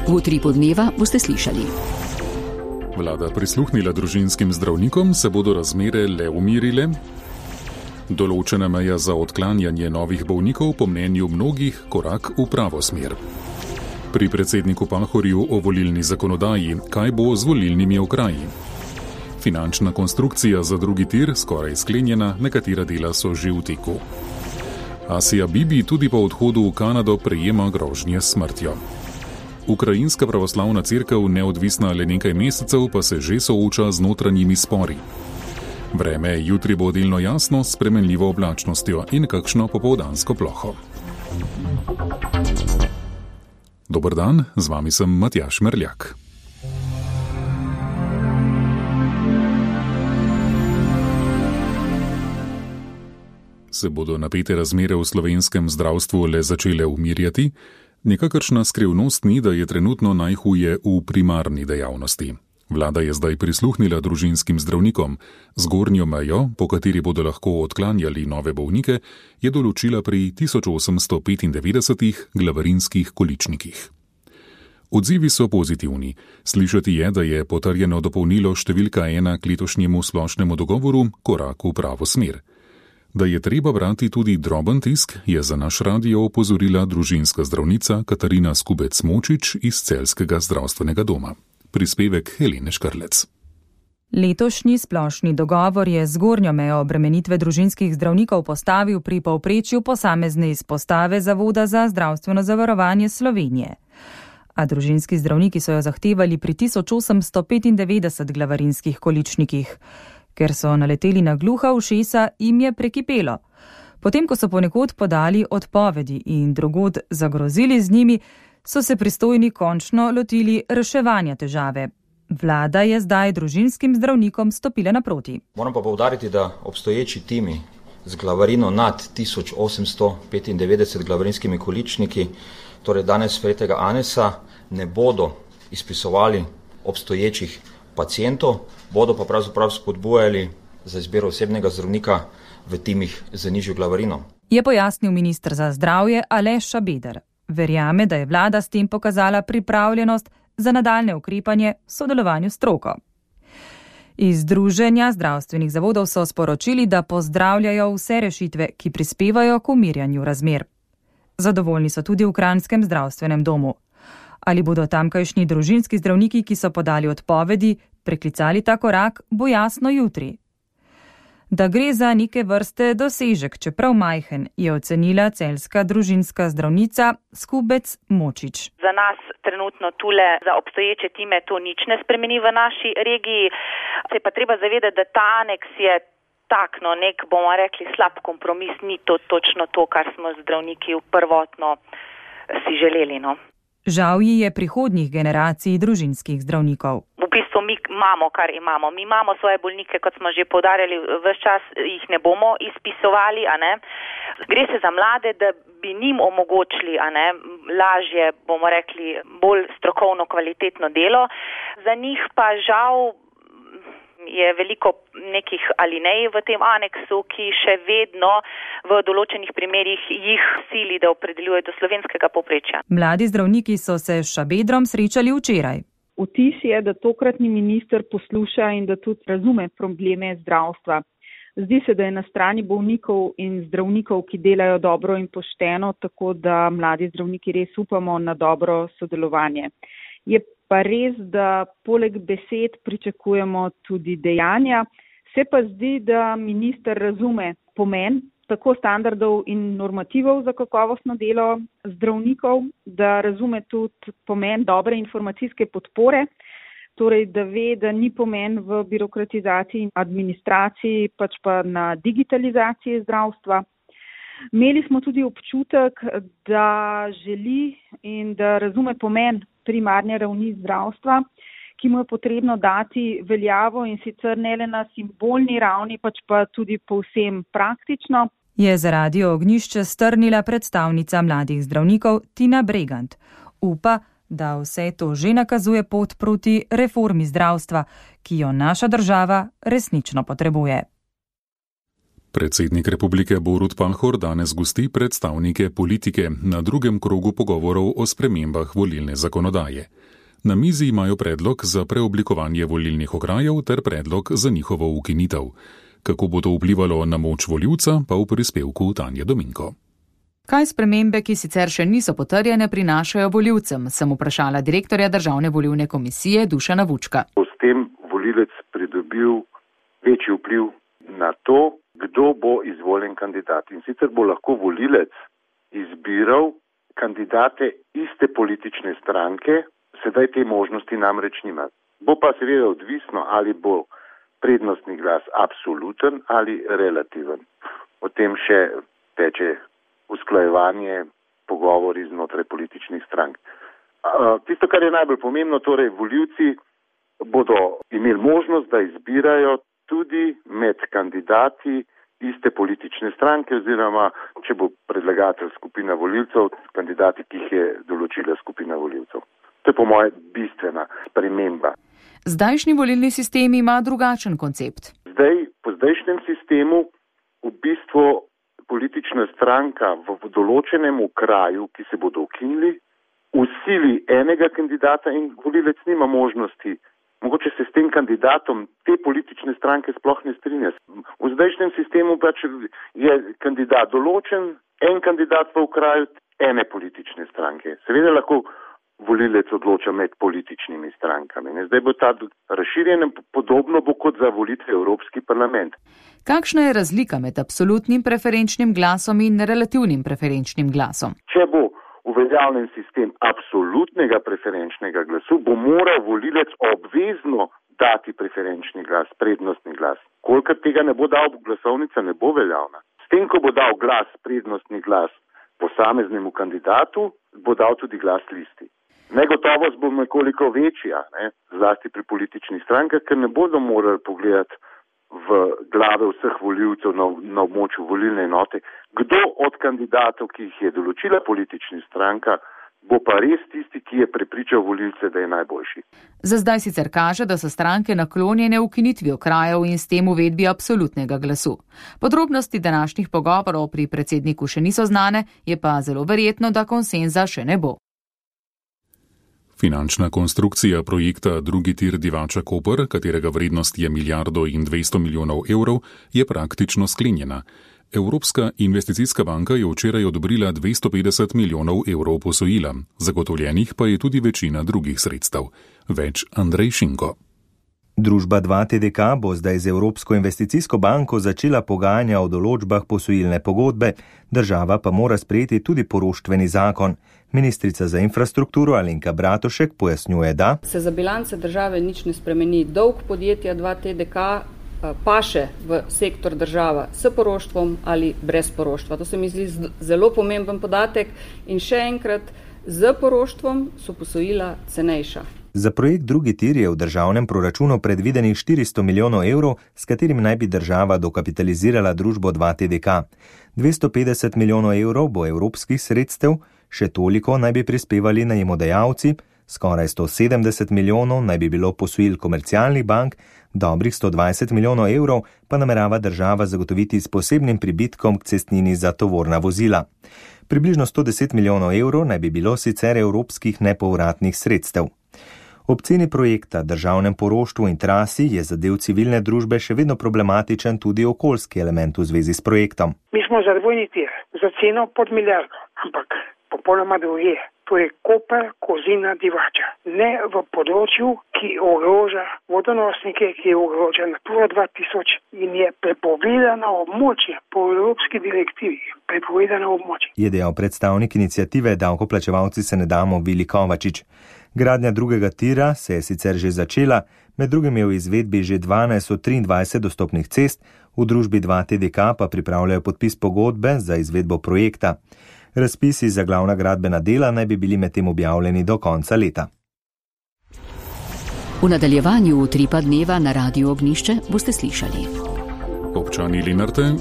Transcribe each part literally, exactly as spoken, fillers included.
V utripu dneva boste slišali. Vlada prisluhnila družinskim zdravnikom, se bodo razmere le umirile. Določena meja za odklanjanje novih bolnikov po mnenju mnogih korak v pravo smer. Pri predsedniku Pahorju o volilni zakonodaji, kaj bo z volilnimi okraji. Finančna konstrukcija za drugi tir skoraj sklenjena, nekatera dela so že v teku. Asija Bibi tudi po odhodu v Kanado prejema grožnje s smrtjo. Ukrajinska pravoslavna cerkev, neodvisna le nekaj mesecev, pa se že sooča z notranjimi spori. Vreme jutri bo delno jasno s spremenljivo oblačnostjo in kakšno popoldansko ploho. Dober dan, z vami sem Matjaž Merljak. Se bodo napete razmere v slovenskem zdravstvu le začele umirjati? Nekakršna skrivnost ni, da je trenutno najhuje v primarni dejavnosti. Vlada je zdaj prisluhnila družinskim zdravnikom. Zgornjo mejo, po kateri bodo lahko odklanjali nove bolnike, je določila pri tisoč osemsto petindevetdesetih glavarinskih količnikih. Odzivi so pozitivni. Slišati je, da je potrjeno dopolnilo številka ena k letošnjemu splošnemu dogovoru korak v pravo smer. Da je treba brati tudi droben tisk, je za naš radio opozorila družinska zdravnica Katarina Skubec-Močič iz Celjskega zdravstvenega doma. Prispevek Helene Škrlec. Letošnji splošni dogovor je zgornjo mejo obremenitve družinskih zdravnikov postavil pri povprečju posamezne izpostave Zavoda za zdravstveno zavarovanje Slovenije. A družinski zdravniki so jo zahtevali pri tisoč osemsto petindevetdeset glavarinskih količnikih. Ker so naleteli na gluha ušesa, jim je prekipelo. Potem, ko so ponekod podali odpovedi in drugod zagrozili z njimi, so se pristojni končno lotili reševanja težave. Vlada je zdaj družinskim zdravnikom stopila naproti. Moram pa poudariti, da obstoječi timi z glavarino nad tisoč osemsto petindevetdeset glavarinskimi količniki, torej danes sprejetega aneksa, ne bodo izpisovali obstoječih pacientov, bodo pa pravzaprav spodbujali za izbiro osebnega zdravnika v timih z nižjo glavarino. Je pojasnil minister za zdravje Aleš Šabeder. Verjame, da je vlada s tem pokazala pripravljenost za nadaljne ukrepanje v sodelovanju s stroko. Iz Združenja zdravstvenih zavodov so sporočili, da pozdravljajo vse rešitve, ki prispevajo k umirjanju razmer. Zadovoljni so tudi v Kranjskem zdravstvenem domu. Ali bodo tamkajšnji družinski zdravniki, ki so podali odpovedi, preklicali ta korak, bo jasno jutri. Da gre za neke vrste dosežek, čeprav majhen, je ocenila celjska družinska zdravnica Skubec-Močič. Za nas trenutno tule za obstoječe time to nič ne spremeni v naši regiji. Se pa treba zavedati, da ta aneks je tak, no, nek, bomo rekli, slab kompromis, ni to točno to, kar smo zdravniki prvotno si želeli, no. Žal ji je prihodnjih generacij družinskih zdravnikov. V bistvu mi imamo, kar imamo. Mi imamo svoje bolnike, kot smo že poudarjali, ves čas jih ne bomo izpisovali, a ne. Gre se za mlade, da bi njim omogočili, a ne, lažje, bomo rekli, bolj strokovno, kvalitetno delo. Za njih pa žal je veliko nekih alinej v tem aneksu, ki še vedno v določenih primerjih jih sili, da opredeljuje do slovenskega povprečja. Mladi zdravniki so se s Šabedrom srečali včeraj. Vtis je, da tokratni minister posluša in da tudi razume probleme zdravstva. Zdi se, da je na strani bolnikov in zdravnikov, ki delajo dobro in pošteno, tako da mladi zdravniki res upamo na dobro sodelovanje. Je pa res, da poleg besed pričakujemo tudi dejanja. Se pa zdi, da minister razume pomen tako standardov in normativov za kakovostno delo zdravnikov, da razume tudi pomen dobre informacijske podpore, torej da ve, da ni pomen v birokratizaciji in administraciji, pač pa na digitalizaciji zdravstva. Imeli smo tudi občutek, da želi in da razume pomen primarne ravni zdravstva, ki mu je potrebno dati veljavo in sicer ne le na simbolni ravni, pač pa tudi povsem praktično. Je za Radio Ognjišče strnila predstavnica mladih zdravnikov Tina Bregant. Upa, da vse to že nakazuje pot proti reformi zdravstva, ki jo naša država resnično potrebuje. Predsednik republike Borut Pahor danes gosti predstavnike politike na drugem krogu pogovorov o spremembah volilne zakonodaje. Na mizi imajo predlog za preoblikovanje volilnih okrajev ter predlog za njihovo ukinitev. Kako bo to vplivalo na moč volivca, pa v prispevku Tanje Dominko. Kaj spremembe, ki sicer še niso potrjene, prinašajo volivcem, sem vprašala direktorja Državne volilne komisije Dušana Vučka. S tem volilec pridobil večji vpliv na to, kdo bo izvoljen kandidat. In sicer bo lahko volilec izbiral kandidate iste politične stranke, sedaj te možnosti namreč nima. Bo pa seveda odvisno, ali bo prednostni glas absoluten ali relativen. O tem še teče usklajevanje, pogovori znotraj političnih strank. Tisto, kar je najbolj pomembno, torej volivci bodo imeli možnost, da izbirajo tudi med kandidati iste politične stranke oziroma, če bo predlagatelj skupina volivcev, kandidati, ki jih je določila skupina volivcev. To je po moje bistvena sprememba. Zdajšnji volilni sistem ima drugačen koncept. Zdaj, po zdajšnjem sistemu v bistvu politična stranka v določenem okraju, ki se bodo ukinili, usili enega kandidata in volilec nima možnosti. Mogoče se s tem kandidatom te politične stranke sploh ne strinja. V zdajšnjem sistemu pač je kandidat določen, en kandidat v okraju ene politične stranke. Seveda lahko volilec odloča med političnimi strankami. Zdaj bo ta razširjen, podobno bo kot za volitve v Evropski parlament. Kakšna je razlika med absolutnim preferenčnim glasom in relativnim preferenčnim glasom? Če bo uveljavljen sistem absolutnega preferenčnega glasu, bo moral volilec obvezno dati preferenčni glas, prednostni glas. Kolikor tega ne bo dal, glasovnica ne bo veljavna. S tem, ko bo dal glas, prednostni glas posameznemu kandidatu, bo dal tudi glas listi. Negotovost bo nekoliko večja, ne, zlasti pri političnih strankah, ker ne bodo morali pogledati v glave vseh volivcev na, na območju volilne enote, kdo od kandidatov, ki jih je določila politična stranka, bo pa res tisti, ki je prepričal volilce, da je najboljši. Za zdaj sicer kaže, da so stranke naklonjene ukinitvi okrajev in s tem uvedbi absolutnega glasu. Podrobnosti današnjih pogovorov pri predsedniku še niso znane, je pa zelo verjetno, da konsenza še ne bo. Finančna konstrukcija projekta drugi tir Divača-Koper, katerega vrednost je milijardo in dvesto milijonov evrov, je praktično sklenjena. Evropska investicijska banka je včeraj odobrila dvesto petdeset milijonov evrov posojila, zagotovljenih pa je tudi večina drugih sredstev. Več Andrej Šinko. Družba dva T D K bo zdaj z Evropsko investicijsko banko začela pogajanja o določbah posojilne pogodbe, država pa mora sprejeti tudi poroštveni zakon. Ministrica za infrastrukturo Alenka Bratušek pojasnjuje, da se za bilance države nič ne spremeni. Dolg podjetja dva T D K paše v sektor država s poroštvom ali brez poroštva. To se mi zdi zelo pomemben podatek in še enkrat, z poroštvom so posojila cenejša. Za projekt drugi tir je v državnem proračunu predvidenih štiristo milijonov evrov, s katerim naj bi država dokapitalizirala družbo dva T D K. dvesto petdeset milijonov evrov bo evropskih sredstev, še toliko naj bi prispevali najemodajalci, skoraj sto sedemdeset milijonov naj bi bilo posojil komercialnih bank, dobrih sto dvajset milijonov evrov pa namerava država zagotoviti s posebnim pribitkom k cestnini za tovorna vozila. Približno sto deset milijonov evrov naj bi bilo sicer evropskih nepovratnih sredstev. Ob ceni projekta, državnem poroštvu in trasi je za del civilne družbe še vedno problematičen tudi okoljski element v zvezi s projektom. Mi smo za dvojni tir, za ceno pod milijardo, ampak popolnoma druge. To je Koper, Kozina, Divača. Ne v področju, ki ogroža vodonosnike, ki ogroža Natura dva tisoč in je prepovedano območje po evropski direktivi. Prepovedano območje. Je dejal predstavnik iniciative Davkoplačevalci se ne damo Vili Kovačič. Gradnja drugega tira se je sicer že začela, med drugim je v izvedbi že dvanajst od triindvajsetih dostopnih cest, v družbi dva T D K pa pripravljajo podpis pogodbe za izvedbo projekta. Razpisi za glavna gradbena dela naj bi bili medtem objavljeni do konca leta. V nadaljevanju utripa dneva na Radiu Ognjišče boste slišali. Občani Lenarte,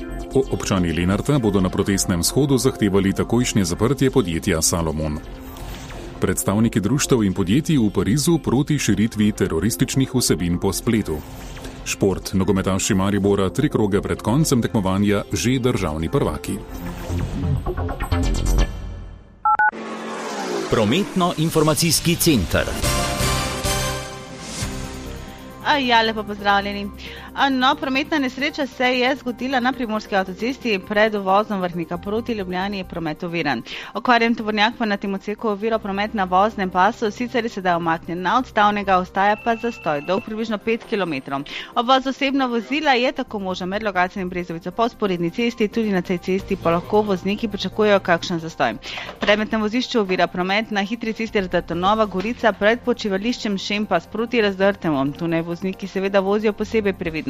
občani Lenarta bodo na protestnem shodu zahtevali takojšnje zaprtje podjetja Salomon. Predstavniki društev in podjetij v Parizu proti širitvi terorističnih vsebin po spletu. Šport. Nogometaši Maribora tri kroge pred koncem tekmovanja že državni prvaki. Prometno-informacijski center. Ja, lepo pozdravljeni. No, prometna nesreča se je zgodila na primorski avtocesti pred uvozom Vrhnika proti Ljubljani, je promet oviran. Okvarjen tovornjak pa na tem odseku ovira promet na voznem pasu, sicer je sedaj umaknjen na odstavnega, ostaja pa zastoj, dolg približno pet kilometrov. Obvoz osebna vozila je tako možen med Logatcem in Brezovico po vzporedni cesti, tudi na tej cesti pa lahko vozniki pričakujejo kakšen zastoj. Predmet na vozišču ovira promet na hitri cesti Razdrto-Nova Gorica pred počivališčem Šempas proti Razdrtemu. Tu naj vozniki seveda vozijo posebej previdno.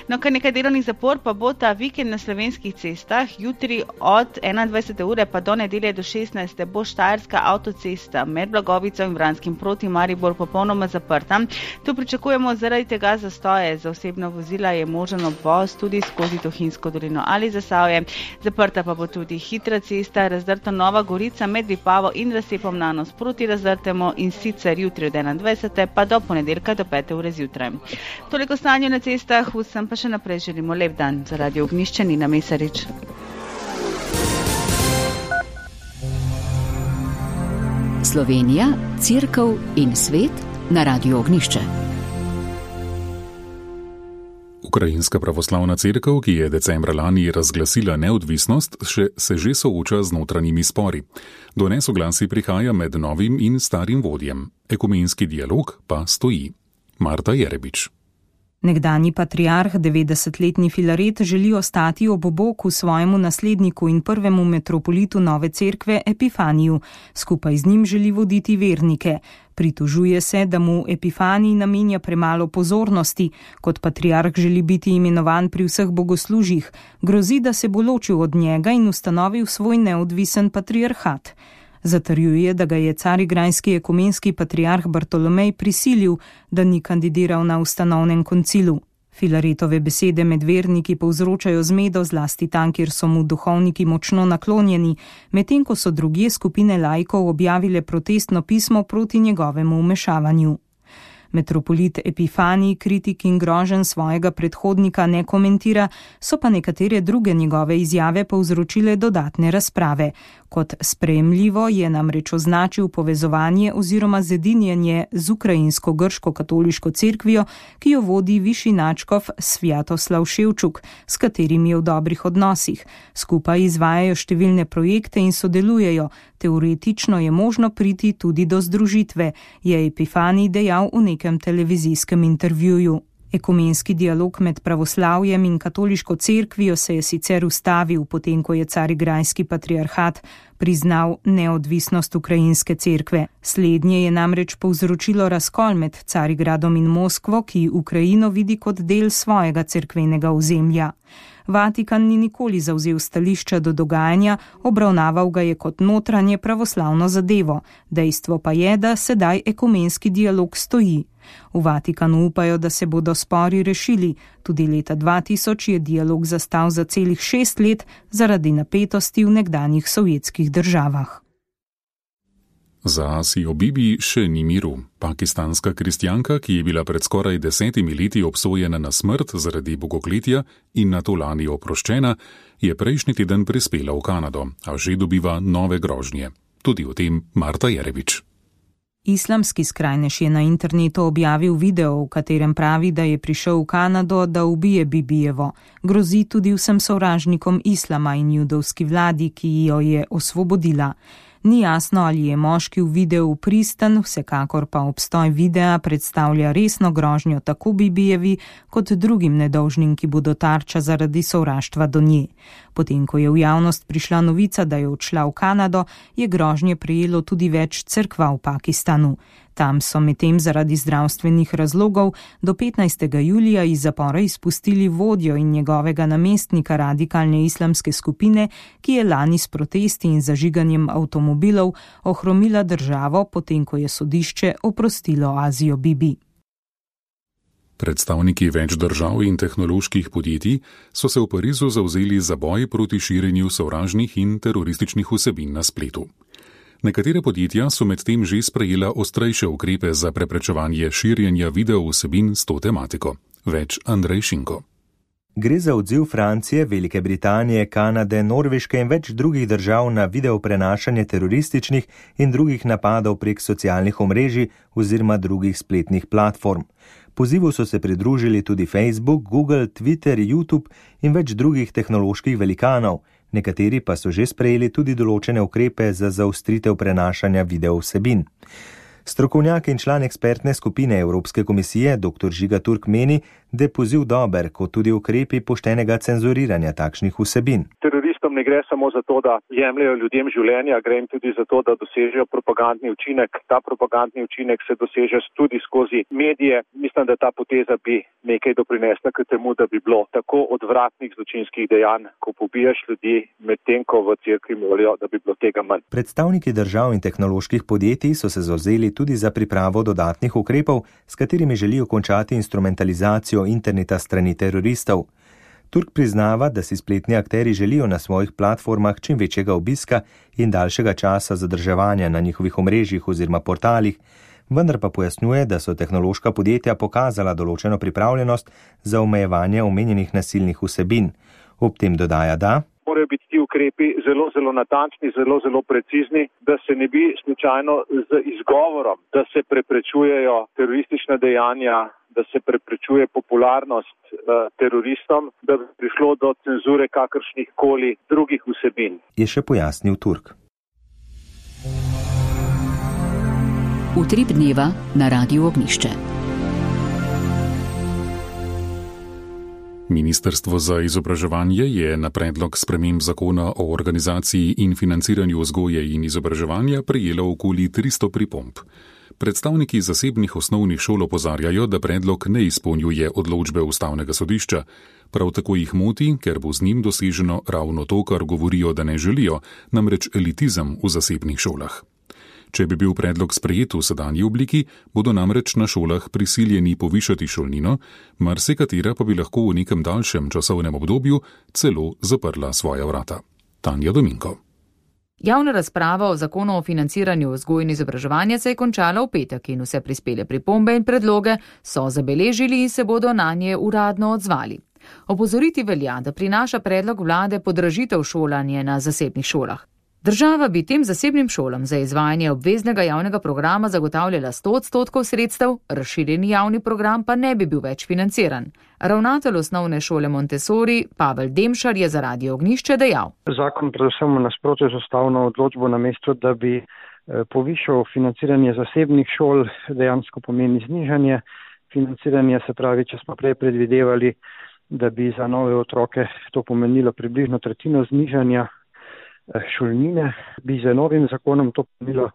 No, kar nekaj delovnih zapor pa bo ta vikend na slovenskih cestah. Jutri od enaindvajsete ure pa do nedelje do šestnajste bo Štajerska avtocesta med Blagovico in Vranskim proti Maribor popolnoma zaprta. Tu pričakujemo zaradi tega zastoje. Za osebna vozila je možen obvoz tudi skozi Tuhinjsko dolino ali Zasavje. Zaprta pa bo tudi hitra cesta Razdrto-Nova Gorica med Vipavo in Razcepom na nos proti Razdrtemu, in sicer jutri od enaindvajsete pa do ponedeljka do pete ure zjutraj. Toliko stanje na cestah, vsem pa še naprej želimo lep dan. Za Radio Ognjišče Nina Mesarič. Slovenija, Cerkev in svet na Radio Ognjišče. Ukrajinska pravoslavna cerkev, ki je decembra lani razglasila neodvisnost, še, se že sooča z notranjimi spori. Do nesoglasij prihaja med novim in starim vodjem. Ekumenski dialog pa stoji. Marta Jerebič. Nekdanji patriarh, devetdesetletni Filaret, želi ostati ob boku svojemu nasledniku in prvemu metropolitu nove cerkve Epifaniju. Skupaj z njim želi voditi vernike. Pritožuje se, da mu Epifanij namenja premalo pozornosti. Kot patriarh želi biti imenovan pri vseh bogoslužjih. Grozi, da se bo ločil od njega in ustanovil svoj neodvisen patriarhat. Zatrjuje, da ga je carigrajski ekumenski patriarh Bartolomej prisilil, da ni kandidiral na ustanovnem koncilu. Filaretove besede med verniki povzročajo zmedo, zlasti tam, kjer so mu duhovniki močno naklonjeni, medtem ko so drugje skupine laikov objavile protestno pismo proti njegovemu vmešavanju. Metropolit Epifanij kritik in groženj svojega predhodnika ne komentira, so pa nekatere druge njegove izjave povzročile dodatne razprave. Kot sprejemljivo je namreč označil povezovanje oziroma zedinjenje z ukrajinsko-grško-katoliško cerkvijo, ki jo vodi višji nadškof Svjatoslav Ševčuk, s katerim je v dobrih odnosih. Skupaj izvajajo številne projekte in sodelujejo. Teoretično je možno priti tudi do združitve, je Epifanij dejal v nekem televizijskem intervjuju. Ekumenski dialog med pravoslavjem in katoliško cerkvijo se je sicer ustavil, potem ko je carigrajski patriarhat priznal neodvisnost ukrajinske cerkve. Slednje je namreč povzročilo razkol med Carigradom in Moskvo, ki Ukrajino vidi kot del svojega cerkvenega ozemlja. Vatikan ni nikoli zavzel stališča do dogajanja, obravnaval ga je kot notranje pravoslavno zadevo. Dejstvo pa je, da sedaj ekumenski dialog stoji. V Vatikanu upajo, da se bodo spori rešili. Tudi leta dva tisoč je dialog zastal za celih šest let zaradi napetosti v nekdanjih sovjetskih državah. Za Asijo Bibi še ni miru. Pakistanska kristjanka, ki je bila pred skoraj desetimi leti obsojena na smrt zaradi bogokletja in nato lani oproščena, je prejšnji teden prispela v Kanado, a že dobiva nove grožnje. Tudi o tem Marta Jerebič. Islamski skrajnež je na internetu objavil video, v katerem pravi, da je prišel v Kanado, da ubije Bibijevo. Grozi tudi vsem sovražnikom islama in judovski vladi, ki jo je osvobodila. Ni jasno, ali je moški v videu pristen, vsekakor pa obstoj videa predstavlja resno grožnjo tako Bibijevi kot drugim nedolžnim, ki bodo tarča zaradi sovraštva do nje. Potem, ko je v javnost prišla novica, da je odšla v Kanado, je grožnje prejelo tudi več cerkva v Pakistanu. Tam so medtem zaradi zdravstvenih razlogov do petnajstega julija iz zapora izpustili vodjo in njegovega namestnika radikalne islamske skupine, ki je lani s protesti in zažiganjem avtomobilov ohromila državo, potem ko je sodišče oprostilo Azijo Bibi. Predstavniki več držav in tehnoloških podjetij so se v Parizu zavzeli za boj proti širjenju sovražnih in terorističnih vsebin na spletu. Nekatere podjetja so medtem že sprejela ostrejše ukrepe za preprečevanje širjenja video vsebin s to tematiko. Več Andrej Šinko. Gre za odziv Francije, Velike Britanije, Kanade, Norveške in več drugih držav na video prenašanje terorističnih in drugih napadov prek socialnih omrežij oziroma drugih spletnih platform. Pozivu so se pridružili tudi Facebook, Google, Twitter, YouTube in več drugih tehnoloških velikanov, nekateri pa so že sprejeli tudi določene ukrepe za zaostritev prenašanja video vsebin. Strokovnjak in član ekspertne skupine Evropske komisije dr Žiga Turk meni, da je poziv dober, kot tudi ukrepi poštenega cenzuriranja takšnih vsebin. Teroristom ne gre samo za to, da jemljajo ljudem življenja, gre jim tudi za to, da dosežejo propagandni učinek. Ta propagandni učinek se doseže tudi skozi medije. Mislim, da ta poteza bi nekaj doprinesla k temu, da bi bilo tako odvratnih zločinskih dejanj, ko pobijaš ljudi, medtem ko v cerkvi molijo, da bi bilo tega manj. Predstavniki držav in tehnoloških podjetij so se zavzeli tudi za pripravo dodatnih ukrepov, s katerimi želijo končati instrumentalizacijo interneta strani teroristov. Turk priznava, da si spletni akteri želijo na svojih platformah čim večjega obiska in daljšega časa zadrževanja na njihovih omrežjih oziroma portalih, vendar pa pojasnjuje, da so tehnološka podjetja pokazala določeno pripravljenost za omejevanje omenjenih nasilnih vsebin. Ob tem dodaja, da morajo biti ti ukrepi zelo, zelo natančni, zelo, zelo precizni, da se ne bi slučajno z izgovorom, da se preprečujejo teroristična dejanja, da se preprečuje popularnost uh, teroristom, da bi prišlo do cenzure kakršnih koli drugih vsebin. Je še pojasnil Turk. Utrip dneva na Radiu Ognjišče. Ministrstvo za izobraževanje je na predlog sprememb zakona o organizaciji in financiranju vzgoje in izobraževanja prejelo okoli tristo pripomb. Predstavniki zasebnih osnovnih šol opozarjajo, da predlog ne izpolnjuje odločbe Ustavnega sodišča. Prav tako jih moti, ker bo z njim doseženo ravno to, kar govorijo, da ne želijo, namreč elitizem v zasebnih šolah. Če bi bil predlog sprejet v sedanji obliki, bodo namreč na šolah prisiljeni povišati šolnino, marsikatera pa bi lahko v nekem daljšem časovnem obdobju celo zaprla svoja vrata. Tanja Dominko. Javna razprava o zakonu o financiranju vzgoje in izobraževanja se je končala v petek in vse prispele pripombe in predloge so zabeležili in se bodo na nje uradno odzvali. Opozoriti velja, da prinaša predlog vlade podražitev šolanja na zasebnih šolah. Država bi tem zasebnim šolam za izvajanje obveznega javnega programa zagotavljala sto odstotkov sredstev, razširjeni javni program pa ne bi bil več financiran. Ravnatelj osnovne šole Montessori Pavel Demšar je za Radio Ognjišče dejal. Zakon predvsem v nasprotju z ustavno odločbo namesto, da bi povišal financiranje zasebnih šol, dejansko pomeni znižanje financiranja, se pravi, če smo prej predvidevali, da bi za nove otroke to pomenilo približno tretjino znižanja šolnine, bi z novim zakonom to pomenilo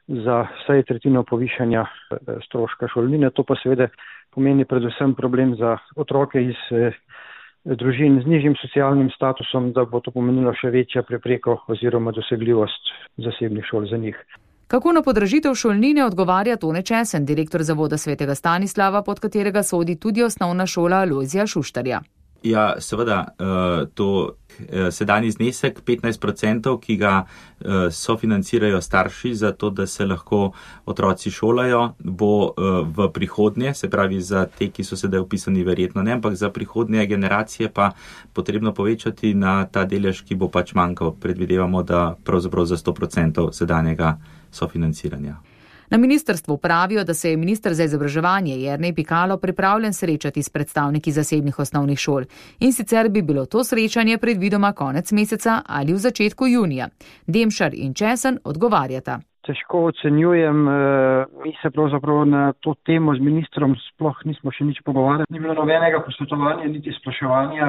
za vsaj tretjino povišanja stroška šolnine. To pa seveda pomeni predvsem problem za otroke iz družin z nižjim socialnim statusom, da bo to pomenilo še večja prepreko oziroma dosegljivost zasebnih šol za njih. Kako na podražitev šolnine odgovarja Tone Česen, direktor Zavoda Svetega Stanislava, pod katerega sodi tudi osnovna šola Lojzija Šuštarja. Ja, seveda, to sedanji znesek petnajst procentov, ki ga sofinancirajo starši za to, da se lahko otroci šolajo, bo v prihodnje, se pravi za te, ki so sedaj upisani verjetno ne, ampak za prihodnje generacije pa potrebno povečati na ta delež, ki bo pač manjkal. Predvidevamo, da pravzaprav za sto procentov sedanjega sofinanciranja. Na ministrstvu pravijo, da se je minister za izobraževanje Jernej Pikalo pripravljen srečati s predstavniki zasebnih osnovnih šol. In sicer bi bilo to srečanje predvidoma konec meseca ali v začetku junija. Demšar in Česen odgovarjata. Težko ocenjujem, mi se pravzaprav na to temo z ministrom sploh nismo še nič pogovarjali. Ni bilo nobenega posvetovanja, niti spraševanja,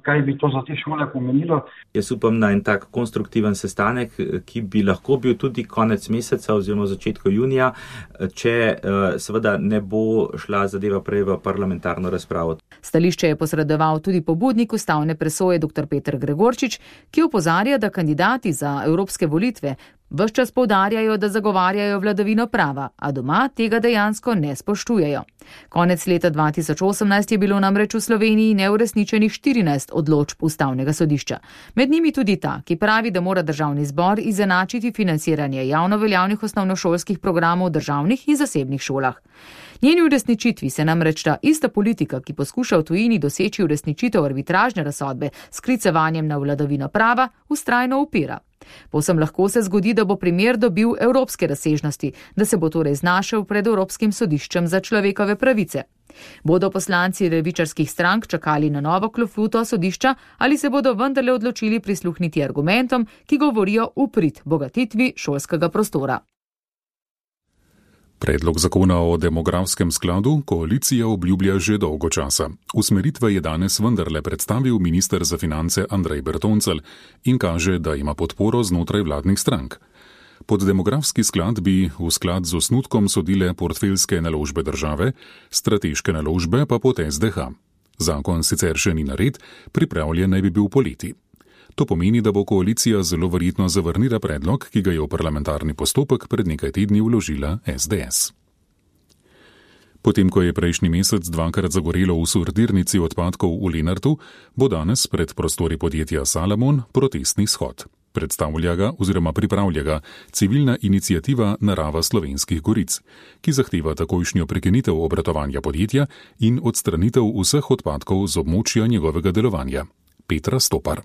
kaj bi to za te šole pomenilo. Jaz upam na en tak konstruktiven sestanek, ki bi lahko bil tudi konec meseca oziroma začetku junija, če seveda ne bo šla zadeva prej v parlamentarno razpravo. Stališče je posredoval tudi pobudnik ustavne presoje dr Peter Gregorčič, ki opozarja, da kandidati za evropske volitve ves čas poudarjajo, da zagovarjajo vladavino prava, a doma tega dejansko ne spoštujejo. Konec leta dva tisoč osemnajst je bilo namreč v Sloveniji neuresničenih štirinajst odločb Ustavnega sodišča. Med njimi tudi ta, ki pravi, da mora državni zbor izenačiti financiranje javno veljavnih osnovnošolskih programov v državnih in zasebnih šolah. Njeni uresničitvi se namreč ta ista politika, ki poskuša v tujini doseči uresničitev arbitražne razsodbe s sklicevanjem na vladavino prava, vztrajno upira. Povsem lahko se zgodi, da bo primer dobil evropske razsežnosti, da se bo torej znašel pred Evropskim sodiščem za človekove pravice. Bodo poslanci levičarskih strank čakali na novo klofuto sodišča ali se bodo vendarle odločili prisluhniti argumentom, ki govorijo v prid bogatitvi šolskega prostora? Predlog zakona o demografskem skladu koalicija obljublja že dolgo časa. Usmeritve je danes vendarle predstavil minister za finance Andrej Bertoncelj in kaže, da ima podporo znotraj vladnih strank. Pod demografski sklad bi v sklad z osnutkom sodile portfeljske naložbe države, strateške naložbe pa pod S D H. Zakon sicer še ni nared, pripravljen naj bi bil poleti. To pomeni, da bo koalicija zelo verjetno zavrnila predlog, ki ga je v parlamentarni postopek pred nekaj tedni vložila S D S. Potem, ko je prejšnji mesec dvakrat zagorelo v sortirnici odpadkov v Lenartu, bo danes pred prostori podjetja Salamon protestni shod. Predstavlja ga oziroma pripravlja ga civilna iniciativa Narava Slovenskih goric, ki zahteva takojšnjo prekinitev obratovanja podjetja in odstranitev vseh odpadkov z območja njegovega delovanja. Petra Stopar.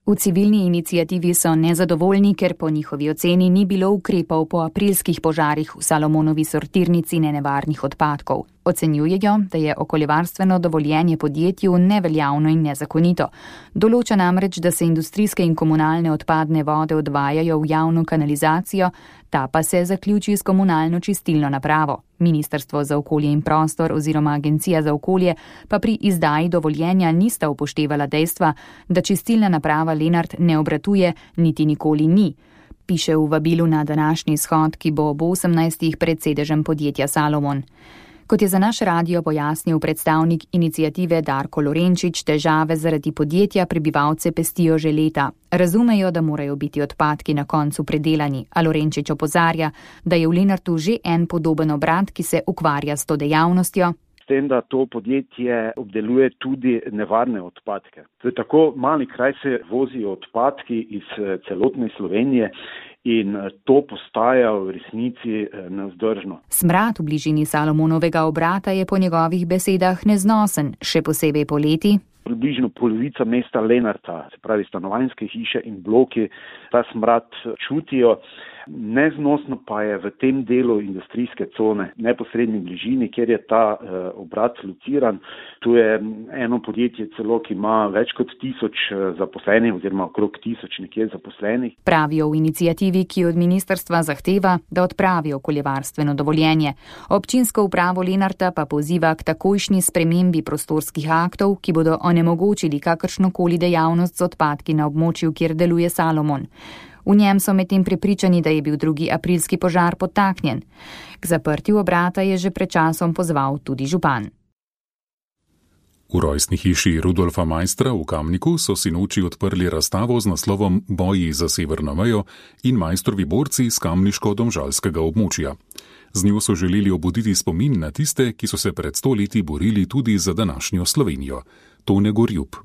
V civilni iniciativi so nezadovoljni, ker po njihovi oceni ni bilo ukrepov po aprilskih požarih v Salomonovi sortirnici nenevarnih odpadkov. Ocenjujejo, da je okoljevarstveno dovoljenje podjetju neveljavno in nezakonito. Določa namreč, da se industrijske in komunalne odpadne vode odvajajo v javno kanalizacijo, ta pa se zaključi s komunalno čistilno napravo. Ministrstvo za okolje in prostor oziroma Agencija za okolje pa pri izdaji dovoljenja nista upoštevala dejstva, da čistilna naprava Lenart ne obratuje, niti nikoli ni. Piše v vabilu na današnji shod, ki bo ob osemnajstih pred sedežem podjetja Salomon. Kot je za naš radio pojasnil predstavnik iniciative Darko Lorenčič, težave zaradi podjetja prebivalce pestijo že leta. Razumejo, da morajo biti odpadki na koncu predelani, a Lorenčič opozarja, da je v Lenartu že en podoben obrat, ki se ukvarja s to dejavnostjo. S tem, da to podjetje obdeluje tudi nevarne odpadke. V tako mali kraj se vozijo odpadki iz celotne Slovenije in to postaja v resnici nevzdržno. Smrad v bližini Salomonovega obrata je po njegovih besedah neznosen, še posebej poleti. Približno polovica mesta Lenarta, se pravi stanovanjske hiše in bloki, ta smrad čutijo. Neznosno pa je v tem delu industrijske cone, neposredni bližini, kjer je ta eh, obrat lociran. Tu je eno podjetje celo, ki ima več kot tisoč zaposlenih oziroma okrog tisoč nekje zaposlenih. Pravijo v inicijativi, ki od ministrstva zahteva, da odpravi okoljevarstveno dovoljenje. Občinsko upravo Lenarta pa poziva k takojšnji spremembi prostorskih aktov, ki bodo onemogočili kakršnokoli dejavnost z odpadki na območju, kjer deluje Salomon. V njem so medtem prepričani, da je bil drugi aprilski požar podtaknjen. K zaprtju obrata je že pred časom pozval tudi župan. V rojstni hiši Rudolfa Maistra v Kamniku so sinoči odprli razstavo z naslovom Boji za severno mejo in Maistrovi borci z kamniško-domžalskega območja. Z njo so želeli obuditi spomin na tiste, ki so se pred sto leti borili tudi za današnjo Slovenijo. Tone Gorjub.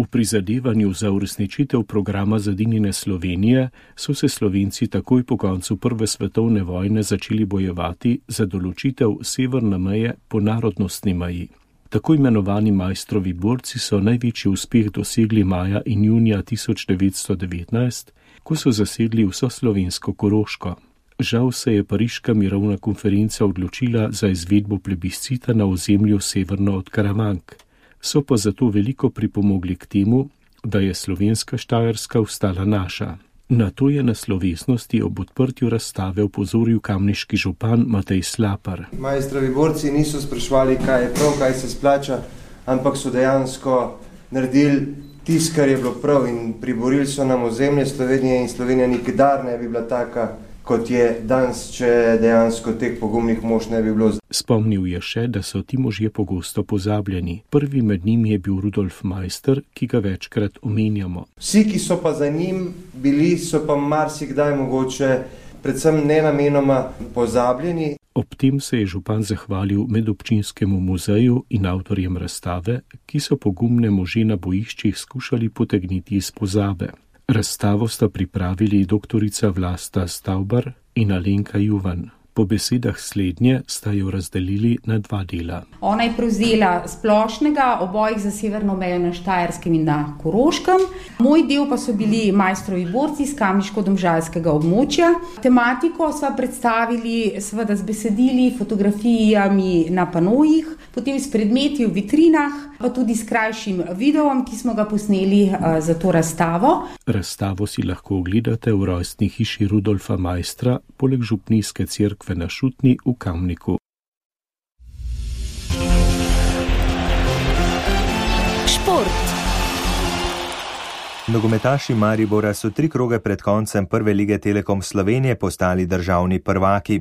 V prizadevanju za uresničitev programa Zedinjene Slovenije so se Slovenci takoj po koncu Prve svetovne vojne začeli bojevati za določitev severne meje po narodnostni meji. Tako imenovani Maistrovi borci so največji uspeh dosegli maja in junija tisoč devetsto devetnajst, ko so zasedli vso slovensko Koroško. Žal se je Pariška mirovna konferenca odločila za izvedbo plebiscita na ozemlju severno od Karavank. So pa zato veliko pripomogli k temu, da je slovenska Štajerska ostala naša. Na to je na slovesnosti ob odprtju razstave opozoril kamniški župan Matej Slapar. Maistrovi borci niso sprašvali, kaj je prav, kaj se splača, ampak so dejansko naredili tisto, kar je bilo prav in priborili so nam ozemlje Slovenije in Slovenija nikdar ne bi bila taka, kot je danes, če dejansko teh pogumnih mož ne bi bilo. Spomnil je še, da so ti možje pogosto pozabljeni. Prvi med njimi je bil Rudolf Maister, ki ga večkrat omenjamo. Vsi, ki so pa za njim bili, so pa marsikdaj mogoče predvsem nenamenoma pozabljeni. Ob tem se je župan zahvalil medobčinskemu muzeju in avtorjem razstave, ki so pogumne može na bojiščih skušali potegniti iz pozabe. Razstavo sta pripravili doktorica Vlasta Stavbar in Alenka Juvan. Po besedah slednje sta jo razdelili na dva dela. Ona je prevzela splošnega obojih za severno mejo na Štajerskem in na Koroškem. Moj del pa so bili majstrovi borci iz kamniško-domžalskega območja. Tematiko sva predstavili seveda z besedili, fotografijami na panojih, potem s predmeti v vitrinah, pa tudi s krajšim videom, ki smo ga posneli za to razstavo. Razstavo si lahko ogledate v rojstni hiši Rudolfa Maistra, poleg župnijske cerkve na Šutni v Kamniku. Šport. Nogometaši Maribora so tri kroge pred koncem prve lige Telekom Slovenije postali državni prvaki.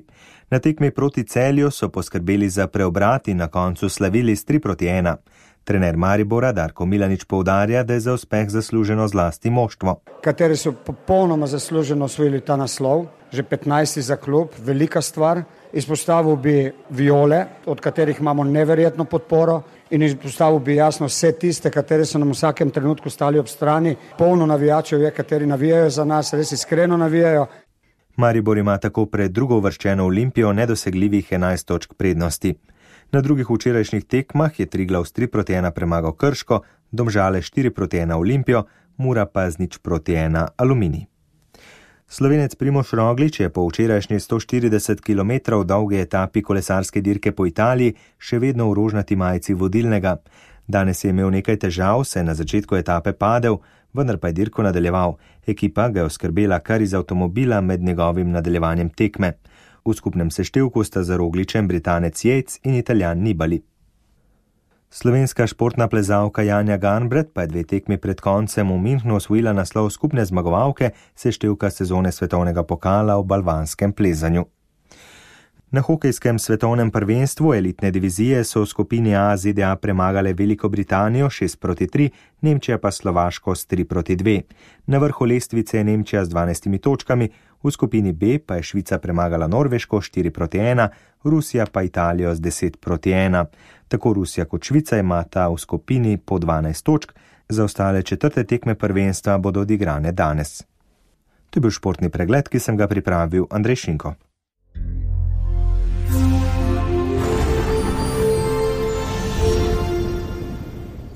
Na tekmi proti Celju so poskrbeli za preobrat in na koncu slavili s tri proti ena. Trener Maribora Darko Milanič poudarja, da je za uspeh zasluženo zlasti moštvo. Kateri so popolnoma zasluženo osvojili ta naslov, že petnajsti za klub, velika stvar. Izpostavil bi Viole, od katerih imamo neverjetno podporo, in izpostavil bi jasno vse tiste, kateri so nam v vsakem trenutku stali ob strani. Polno navijačev je, kateri navijajo za nas, res iskreno navijajo. Maribor ima tako pred drugo uvrščeno Olimpijo nedosegljivih enajst točk prednosti. Na drugih včerajšnjih tekmah je Triglav s tri proti ena premagal Krško, Domžale štiri proti ena Olimpijo, Mura pa z nič proti ena Aluminij. Slovenec Primož Roglič je po včerajšnji sto štirideset kilometrov dolgi etapi kolesarske dirke po Italiji še vedno v rožnati majici vodilnega. Danes je imel nekaj težav, se je na začetku etape padel, vendar pa je dirko nadaljeval. Ekipa ga je oskrbela kar iz avtomobila med njegovim nadaljevanjem tekme. V skupnem seštevku sta za Rogličem Britanec Yates in Italijan Nibali. Slovenska športna plezalka Janja Garnbret pa je dve tekmi pred koncem v Münchnu osvojila naslov skupne zmagovalke seštevka sezone svetovnega pokala v balvanskem plezanju. Na hokejskem svetovnem prvenstvu elitne divizije so v skupini A Z D A premagale Veliko Britanijo šest proti tri, Nemčija pa Slovaško s tri proti dve. Na vrhu lestvice je Nemčija z dvanajstimi točkami, v skupini B pa je Švica premagala Norveško štiri proti ena, Rusija pa Italijo z deset proti ena. Tako Rusija kot Švica imata v skupini po dvanajst točk, za ostale četrte tekme prvenstva bodo odigrane danes. To je bil športni pregled, ki sem ga pripravil Andrej Šinko.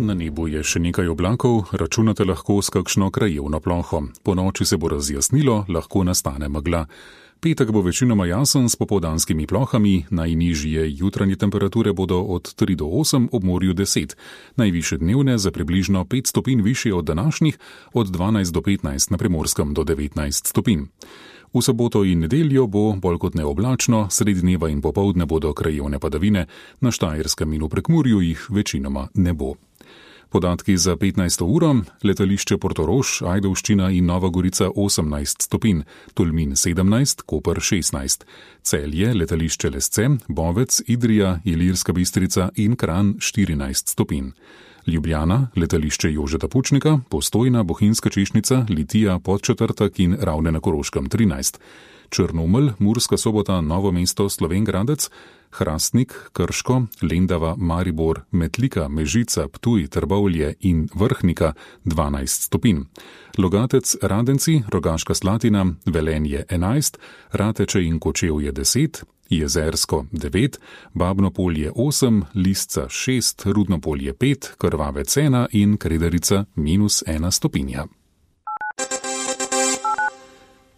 Na nebu je še nekaj oblakov, računate lahko s kakšno krajevno ploho. Po noči se bo razjasnilo, lahko nastane megla. Petek bo večinoma jasen s popoldanskimi plohami, najnižje jutranje temperature bodo od tri do osem, ob morju deset, najvišje dnevne za približno pet stopinj višje od današnjih, od dvanajst do petnajst, na Primorskem do devetnajst stopinj. V soboto in nedeljo bo bolj kot neoblačno, sredi dneva in popoldne bodo krajevne padavine, na Štajerskem in v Prekmurju jih večinoma ne bo. Podatki za petnajsto uro, letališče Portorož, Ajdovščina in Nova Gorica osemnajst stopinj, Tolmin sedemnajst, Koper šestnajst, Celje, letališče Lesce, Bovec, Idrija, Ilirska Bistrica in Kranj štirinajst stopinj. Ljubljana, letališče Jožeta Pučnika, Postojna, Bohinjska Češnica, Litija, Podčetrtek in Ravne na Koroškem trinajst. Črnomelj, Murska Sobota, Novo mesto, Slovenj Gradec, Hrastnik, Krško, Lendava, Maribor, Metlika, Mežica, Ptuj, Trbovlje in Vrhnika dvanajst stopinj. Logatec, Radenci, Rogaška Slatina, Velenje enajst, Rateče in Kočevje deset, Jezersko devet, Babno Polje osem, Lisca šest, Rudno Polje pet, Krvavec ena in Kredarica minus ena stopinja.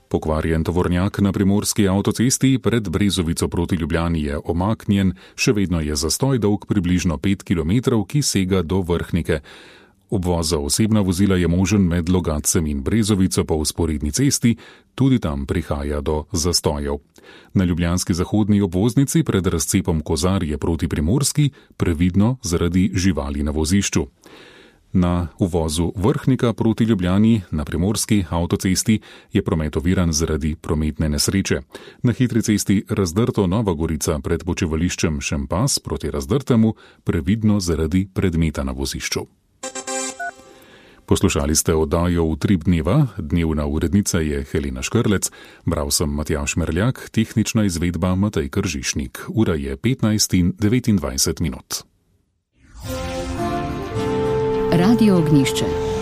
Pokvarjen tovornjak na primorski avtocesti pred Brezovico proti Ljubljani je omaknjen, še vedno je zastoj dolg približno pet kilometrov, ki sega do Vrhnike. Obvoz za osebna vozila je možen med Logatcem in Brezovico po vzporedni cesti, tudi tam prihaja do zastojev. Na ljubljanski zahodni obvoznici pred razcepom Kozarje proti Primorski previdno zaradi živali na vozišču. Na uvozu Vrhnika proti Ljubljani na primorski avtocesti je promet oviran zaradi prometne nesreče. Na hitri cesti Razdrto Nova Gorica pred počivališčem Šempas proti Razdrtemu previdno zaradi predmeta na vozišču. Poslušali ste oddajo Utrip dneva, dnevna urednica je Helena Škrlec, bral sem Matjaž Merljak, tehnična izvedba Matej Kržišnik. Ura je petnajst in devetindvajset minut. Radio Ognjišče.